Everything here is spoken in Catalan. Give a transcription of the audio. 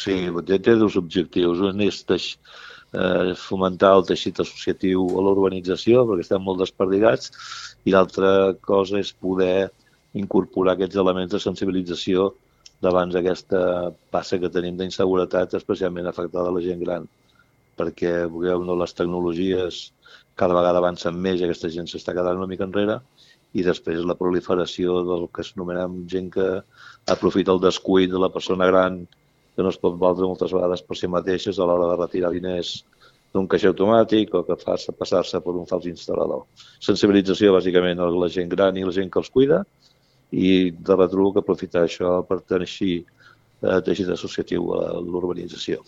Sí, té dos objectius. Un és fomentar el teixit associatiu a la urbanització, perquè estem molt desperdigats, i l'altra cosa és poder incorporar aquests elements de sensibilització davant d'aquesta passa que tenim d'inseguretat, especialment afectada a la gent gran, perquè les tecnologies cada vegada avancen més i aquesta gent s'està quedant una mica enrere, i després la proliferació del que s'anomenem gent que aprofita el descuit de la persona gran que no es pot valdre moltes vegades per si mateixes a l'hora de retirar diners d'un caixer automàtic o que fa passar-se per un fals instal·lador. Sensibilització, bàsicament, a la gent gran i la gent que els cuida, i de retruc aprofitar això per teixir teixit associatiu a l'urbanització.